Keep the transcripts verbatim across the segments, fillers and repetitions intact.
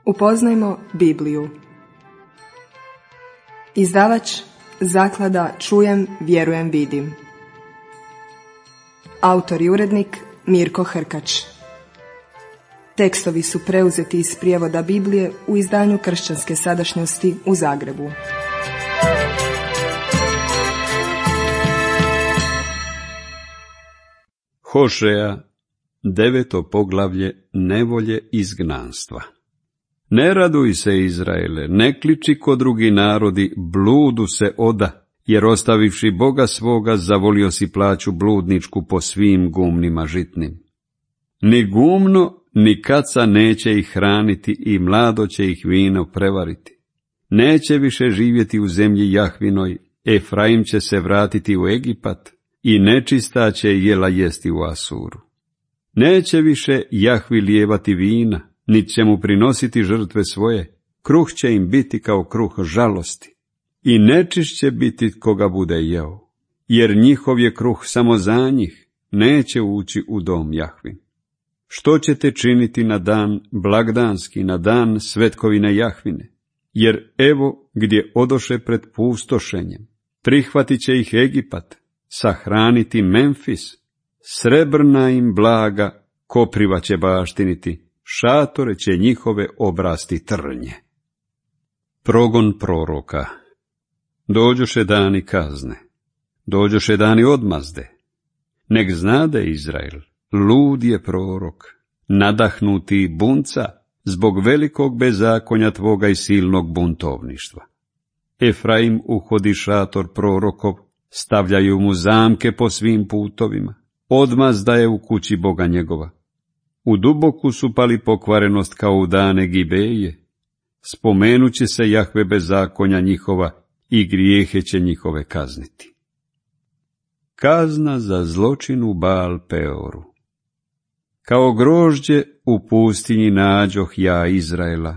Upoznajmo Bibliju. Izdavač Zaklada Čujem, vjerujem, vidim. Autor i urednik Mirko Hrkač. Tekstovi su preuzeti iz prijevoda Biblije u izdanju Kršćanske sadašnjosti u Zagrebu. Hošeja, deveto poglavlje, nevolje izgnanstva. Ne raduj se, Izraele, ne kliči ko drugi narodi, bludu se oda, jer ostavivši Boga svoga, zavolio si plaću bludničku po svim gumnima žitnim. Ni gumno, ni kaca neće ih hraniti i mlado će ih vino prevariti. Neće više živjeti u zemlji Jahvinoj, Efraim će se vratiti u Egipat i nečista će jela jesti u Asuru. Neće više Jahvi lijevati vina, niti će mu prinositi žrtve svoje, kruh će im biti kao kruh žalosti, i nečišć će biti koga bude jeo, jer njihov je kruh samo za njih, neće ući u dom Jahvin. Što ćete činiti na dan blagdanski, na dan svetkovine Jahvine? Jer evo gdje odoše pred pustošenjem, prihvatit će ih Egipat, sahraniti Memfis, srebrna im blaga kopriva će baštiniti, šatore će njihove obrasti trnje. Progon proroka. Dođoše dani kazne, dođoše dani odmazde. Nek znade Izrael, lud je prorok, nadahnuti bunca, zbog velikog bezakonja tvoga i silnog buntovništva. Efraim uhodi šator prorokov, stavljaju mu zamke po svim putovima, odmazda je u kući Boga njegova. U duboku su pali pokvarenost kao u dane Gibeje, spomenuće se Jahve bezakonja njihova i grijehe će njihove kazniti. Kazna za zločin u Baal Peoru. Kao grožđe u pustinji nađoh ja Izraela,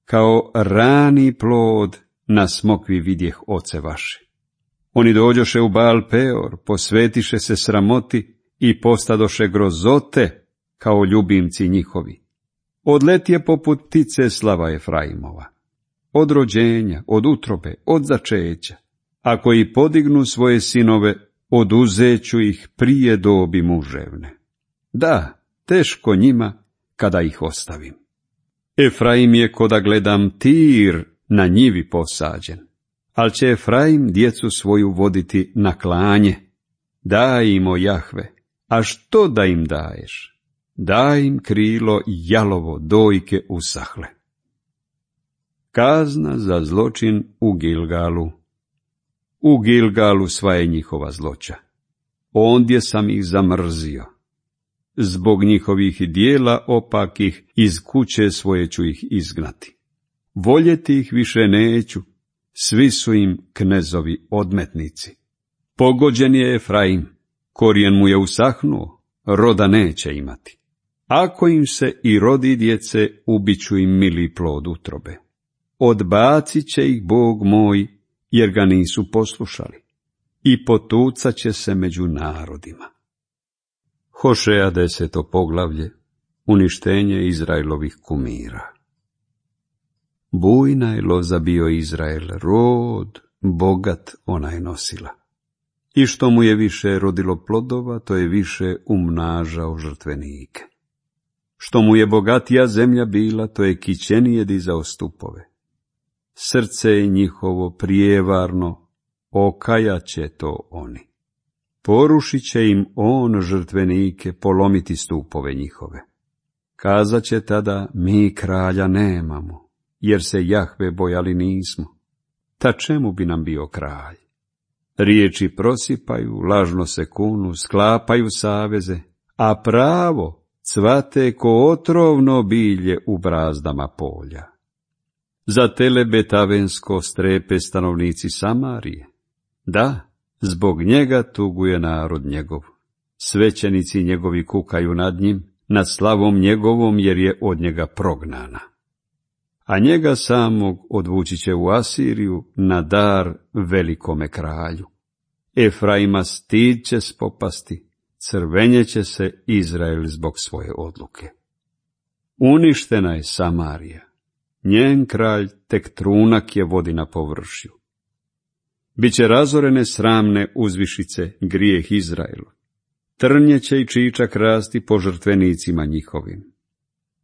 kao rani plod na smokvi vidjeh oce vaše. Oni dođoše u Baal Peor, posvetiše se sramoti i postadoše grozote kao ljubimci njihovi. Odletije poput ptice slava Efraimova. Od rođenja, od utrobe, od začeća. Ako i podignu svoje sinove, oduzeću ih prije dobi muževne. Da, teško njima kada ih ostavim. Efraim je ko da gledam tir na njivi posađen, ali će Efraim djecu svoju voditi na klanje. Daj im, o Jahve, a što da im daješ? Daj im krilo jalovo, dojke usahle. Kazna za zločin u Gilgalu. U Gilgalu sva je njihova zloća. Ondje sam ih zamrzio. Zbog njihovih dijela opakih iz kuće svoje ću ih izgnati. Voljeti ih više neću, svi su im knezovi odmetnici. Pogođen je Efraim, korijen mu je usahnuo, roda neće imati. Ako im se i rodi djece, ubiću im mili plod utrobe. Odbacit će ih Bog moj, jer ga nisu poslušali, i potucat će se među narodima. Hošeja, deseto poglavlje, uništenje Izraelovih kumira. Bujna je loza bio Izrael, rod, bogat ona je nosila. I što mu je više rodilo plodova, to je više umnažao žrtvenike. Što mu je bogatija zemlja bila, to je kićenije dizao stupove. Srce je njihovo prijevarno, okajaće to oni. Porušit će im on žrtvenike, polomiti stupove njihove. Kazat će tada, mi kralja nemamo, jer se Jahve bojali nismo. Ta čemu bi nam bio kralj? Riječi prosipaju, lažno se kunu, sklapaju saveze, a pravo cvate ko otrovno bilje u brazdama polja. Za tele betavensko strepe stanovnici Samarije. Da, zbog njega tuguje narod njegov. Svećenici njegovi kukaju nad njim, nad slavom njegovom, jer je od njega prognana. A njega samog odvući će u Asiriju na dar velikome kralju. Efraima stid će spopasti, crvenjeće se Izrael zbog svoje odluke. Uništena je Samarija, njen kralj tek trunak je vodi na površju. Biće razorene sramne uzvišice grijeh Izraelu. Trnje će i čičak rasti po žrtvenicima njihovim.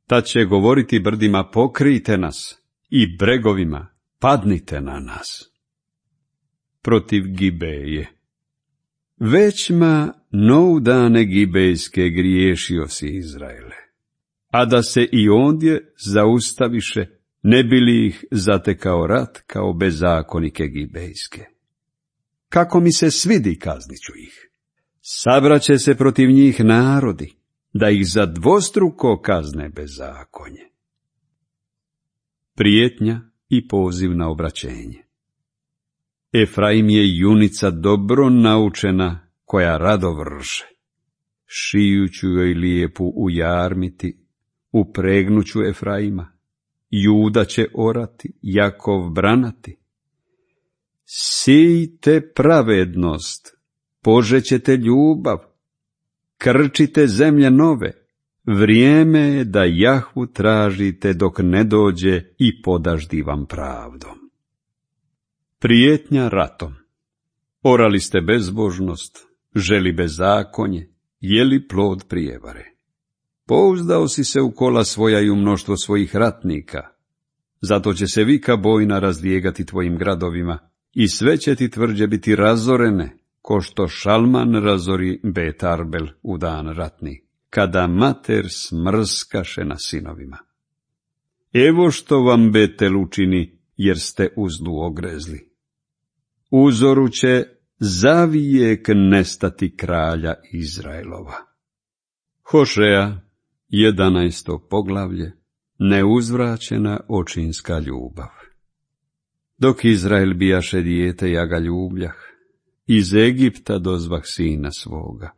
Tad će govoriti brdima, pokrijte nas, i bregovima, padnite na nas. Protiv Gibeje. Većma nov dane gibejske griješio si, Izraele, a da se i ondje zaustaviše, ne bi li ih zatekao rat kao bezakonike gibejske. Kako mi se svidi, kaznit ću ih. Sabraće se protiv njih narodi, da ih za dvostruko kazne bezakonje. Prijetnja i poziv na obraćenje. Efraim je junica dobro naučena, koja rado vrše. Šijuću joj lijepu ujarmiti, upregnuću Efraima. Juda će orati, Jakov branati. Sijte pravednost, požećete ljubav, krčite zemlje nove. Vrijeme je da Jahvu tražite dok ne dođe i podaždi vam pravdom. Prijetnja ratom. Orali ste bezbožnost, želi bezakonje, jeli plod prijevare. Pouzdao si se u kola svoja i u mnoštvo svojih ratnika. Zato će se vika bojna razlijegati tvojim gradovima i sve će ti tvrđe biti razorene, ko što Šalman razori Bet Arbel u dan ratni, kada mater smrskaše na sinovima. Evo što vam Betel učini, jer ste uzdu ogrezli. Uzoru će zavijek nestati kralja Izraelova. Hošeja, jedanaesto poglavlje, neuzvraćena očinska ljubav. Dok Izrael bijaše dijete, ja ga ljubljah, iz Egipta dozvah sina svoga.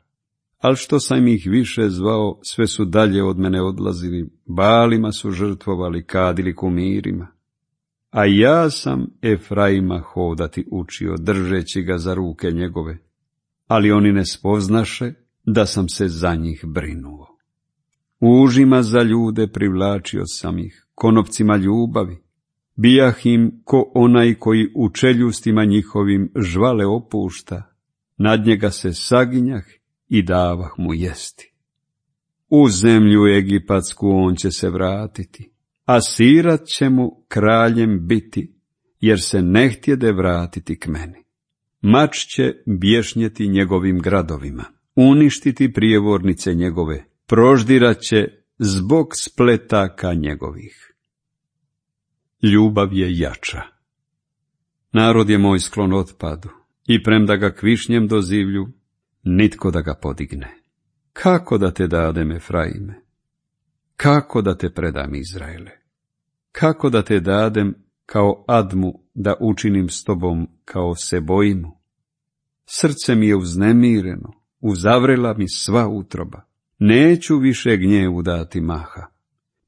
Al što sam ih više zvao, sve su dalje od mene odlazili, balima su žrtvovali, kadili kumirima. A ja sam Efraima hodati učio, držeći ga za ruke njegove, ali oni ne spoznaše da sam se za njih brinuo. Užima za ljude privlačio sam ih, konopcima ljubavi. Bijah im ko onaj koji u čeljustima njihovim žvale opušta, nad njega se saginjah i davah mu jesti. U zemlju egipatsku on će se vratiti, a Sirat će mu kraljem biti, jer se ne htjede vratiti k meni. Mač će bješnjeti njegovim gradovima, uništiti prijevornice njegove, proždirat će zbog spletaka njegovih. Ljubav je jača. Narod je moj sklon otpadu, i premda ga kvišnjem dozivlju, nitko da ga podigne. Kako da te dadem, Efraime? Kako da te predam, Izraele? Kako da te dadem kao Admu, da učinim s tobom kao Seboimu? Srce mi je uznemireno, uzavrela mi sva utroba. Neću više gnjevu dati maha.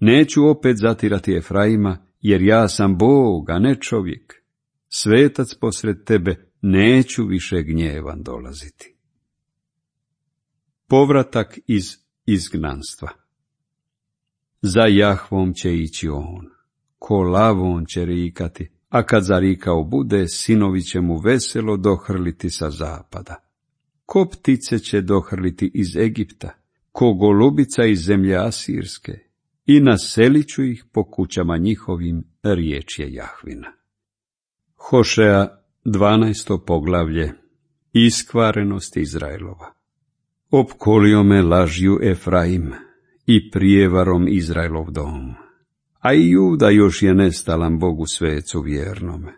Neću opet zatirati Efraima, jer ja sam Bog, a ne čovjek. Svetac posred tebe, neću više gnjevan dolaziti. Povratak iz izgnanstva. Za Jahvom će ići on, ko lavom će rikati, a kad zarikao bude, sinovi će mu veselo dohrliti sa zapada. Ko ptice će dohrliti iz Egipta, ko golubica iz zemlje Asirske, i naselit ću ih po kućama njihovim, riječ je Jahvina. Hošeja, dvanaesto poglavlje, iskvarenost Izraelova. Opkolio me lažju Efraim i prijevarom Izraelov dom, a i Juda još je nestalan Bogu svecu vjernome.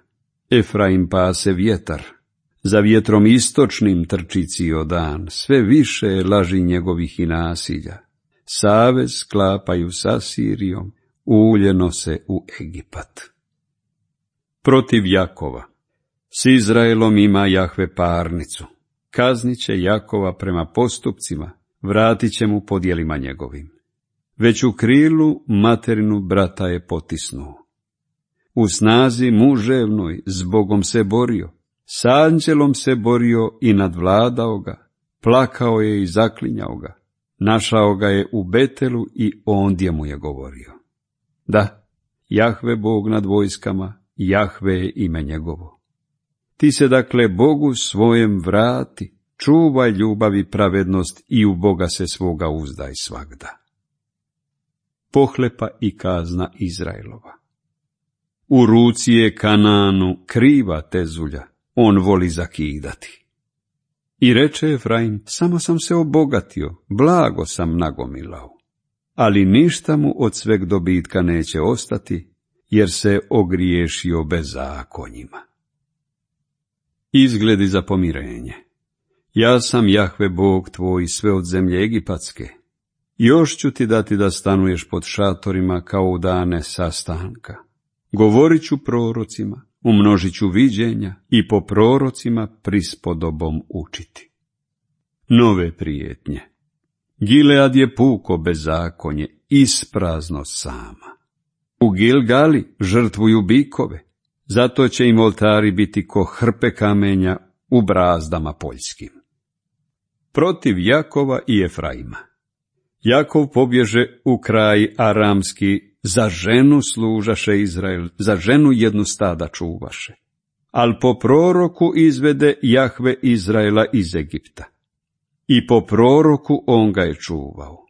Efraim pase vjetar, za vjetrom istočnim trči cijel dan, sve više je laži njegovih i nasilja. Savez sklapaju s Asirijom, ulje nose u Egipat. Protiv Jakova. S Izraelom ima Jahve parnicu. Kaznit će Jakova prema postupcima, vratit će mu po djelima njegovim. Već u krilu materinu brata je potisnuo. U snazi muževnoj s Bogom se borio, s anđelom se borio i nadvladao ga, plakao je i zaklinjao ga. Našao ga je u Betelu i ondje mu je govorio. Da, Jahve Bog nad vojskama, Jahve je ime njegovo. Ti se dakle Bogu svojem vrati, čuvaj ljubav i pravednost i u Boga se svoga uzdaj svagda. Pohlepa i kazna Izraelova. U ruci je Kananu kriva tezulja, on voli zakidati. I reče Efraim, samo sam se obogatio, blago sam nagomilao, ali ništa mu od sveg dobitka neće ostati, jer se ogriješio bezakonjima. Izgledi za pomirenje. Ja sam Jahve Bog tvoj sve od zemlje egipatske. Još ću ti dati da stanuješ pod šatorima kao u dane sastanka. Govorit ću prorocima, umnožit ću viđenja i po prorocima prispodobom učiti. Nove prijetnje. Gilead je puko bezakonje, isprazno sama. U Gilgali žrtvuju bikove, zato će im oltari biti ko hrpe kamenja u brazdama poljskim. Protiv Jakova i Efraima. Jakov pobježe u kraj aramski, za ženu služaše Izrael, za ženu jednu stada čuvaše. Al po proroku izvede Jahve Izraela iz Egipta. I po proroku on ga je čuvao.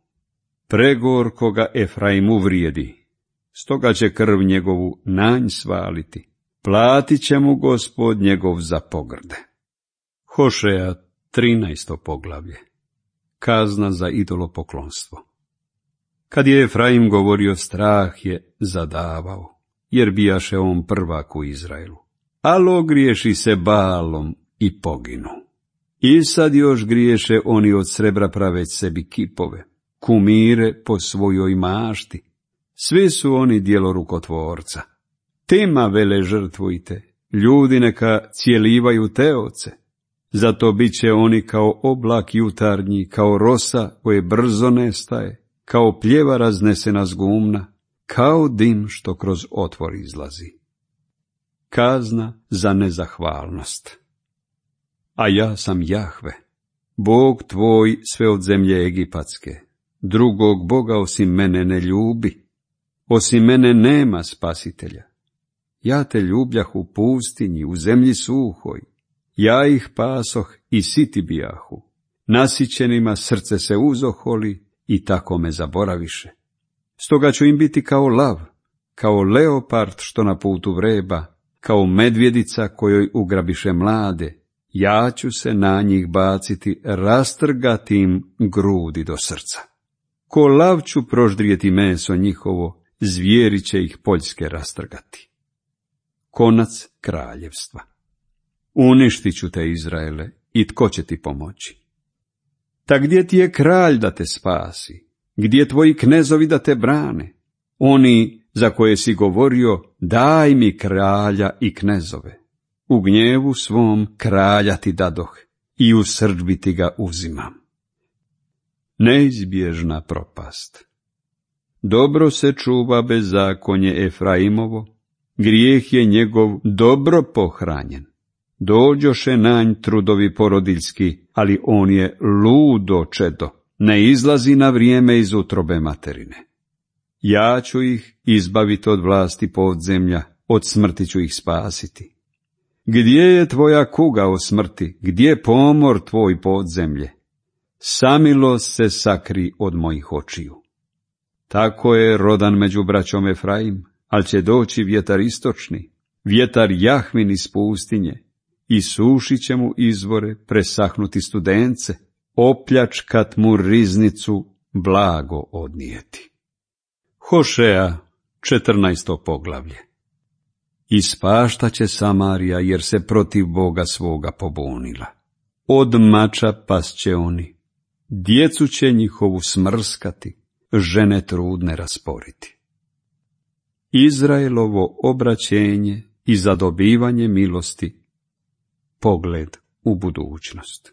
Pregorko ga Efraim uvrijedi, stoga će krv njegovu na nj svaliti. Platit će mu Gospod njegov za pogrde. Hošeja, trinaesto poglavlje. Kazna za idolopoklonstvo. Kad je Efraim govorio, strah je zadavao, jer bijaše on prvak u Izraelu. Al ogriješi se Baalom i poginu. I sad još griješe oni od srebra praveć sebi kipove, kumire po svojoj mašti. Svi su oni djelo rukotvorca. Tima vele žrtvujte, ljudi neka cijelivaju teoce. Zato bit će oni kao oblak jutarnji, kao rosa koje brzo nestaje, kao pljeva raznesena z gumna, kao dim što kroz otvor izlazi. Kazna za nezahvalnost. A ja sam Jahve, Bog tvoj sve od zemlje egipatske. Drugog Boga osim mene ne ljubi, osim mene nema spasitelja. Ja te ljubljah u pustinji, u zemlji suhoj. Ja ih pasoh i siti bijahu. Nasićenima srce se uzoholi i tako me zaboraviše. Stoga ću im biti kao lav, kao leopard što na putu vreba, kao medvjedica kojoj ugrabiše mlade. Ja ću se na njih baciti, rastrgati im grudi do srca. Ko lav ću proždrijeti meso njihovo, zvijeri će ih poljske rastrgati. Konac kraljevstva. Uništit ću te, Izraele, i tko će ti pomoći? Ta gdje ti je kralj da te spasi? Gdje tvoji knezovi da te brane? Oni za koje si govorio, daj mi kralja i knezove. U gnjevu svom kralja ti dadoh i u srdbi ti ga uzimam. Neizbježna propast. Dobro se čuva bezakonje Efraimovo, grijeh je njegov dobro pohranjen. Dođoše na nj trudovi porodiljski, ali on je ludo čedo, ne izlazi na vrijeme iz utrobe materine. Ja ću ih izbaviti od vlasti podzemlja, od smrti ću ih spasiti. Gdje je tvoja kuga o smrti, gdje pomor tvoj podzemlje? Samilost se sakri od mojih očiju. Tako je rodan među braćom Efraim, ali će doći vjetar istočni, vjetar Jahvin iz pustinje, i sušit će mu izvore, presahnuti studence, opljačkat mu riznicu, blago odnijeti. Hošeja, četrnaesto poglavlje. Ispaštaće Samarija, jer se protiv Boga svoga pobunila. Od mača pasće oni, djecu će njihovu smrskati, žene trudne rasporiti. Izraelovo obraćenje i zadobivanje milosti, pogled u budućnost.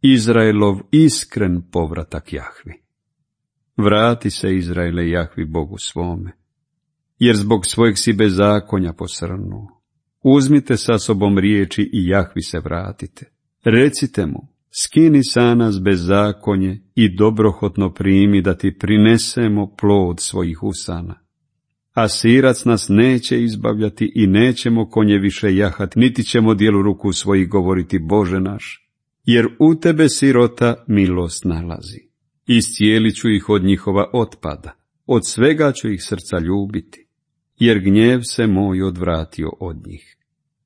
Izraelov iskren povratak Jahvi. Vrati se, Izraele, Jahvi Bogu svome, jer zbog svojeg si bezakonja posrnuo. Uzmite sa sobom riječi i Jahvi se vratite. Recite mu, skini sa nas bezakonje i dobrohotno primi da ti prinesemo plod svojih usana. a sirac nas neće izbavljati i nećemo konje više jahati, niti ćemo dijelu ruku svojih govoriti Bože naš, jer u tebe sirota milost nalazi. Iscijelit ću ih od njihova otpada, od svega ću ih srca ljubiti, jer gnjev se moj odvratio od njih.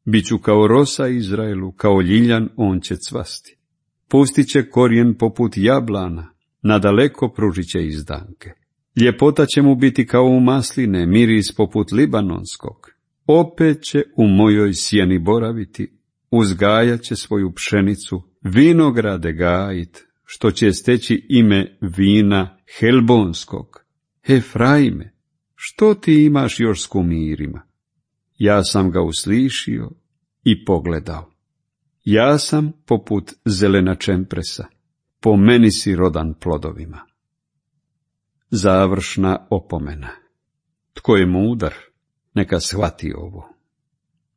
Biću kao rosa Izraelu, kao ljiljan on će cvasti. Pustit će korijen poput jablana, nadaleko pružit će izdanke. Ljepota će mu biti kao u masline, miris poput libanonskog. Opet će u mojoj sjeni boraviti, uzgajat će svoju pšenicu, vinograde gajit, što će steći ime vina helbonskog. Efraime, što ti imaš još s kumirima? Ja sam ga uslišio i pogledao. Ja sam poput zelena čempresa, po meni si rodan plodovima. Završna opomena. Tko je mudar, neka shvati ovo.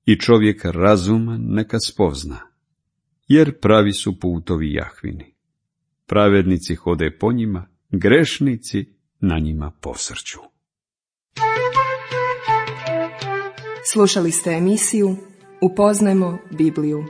I čovjek razuman neka spozna, jer pravi su putovi Jahvini. Pravednici hode po njima, grešnici na njima posrću. Slušali ste emisiju Upoznajmo Bibliju.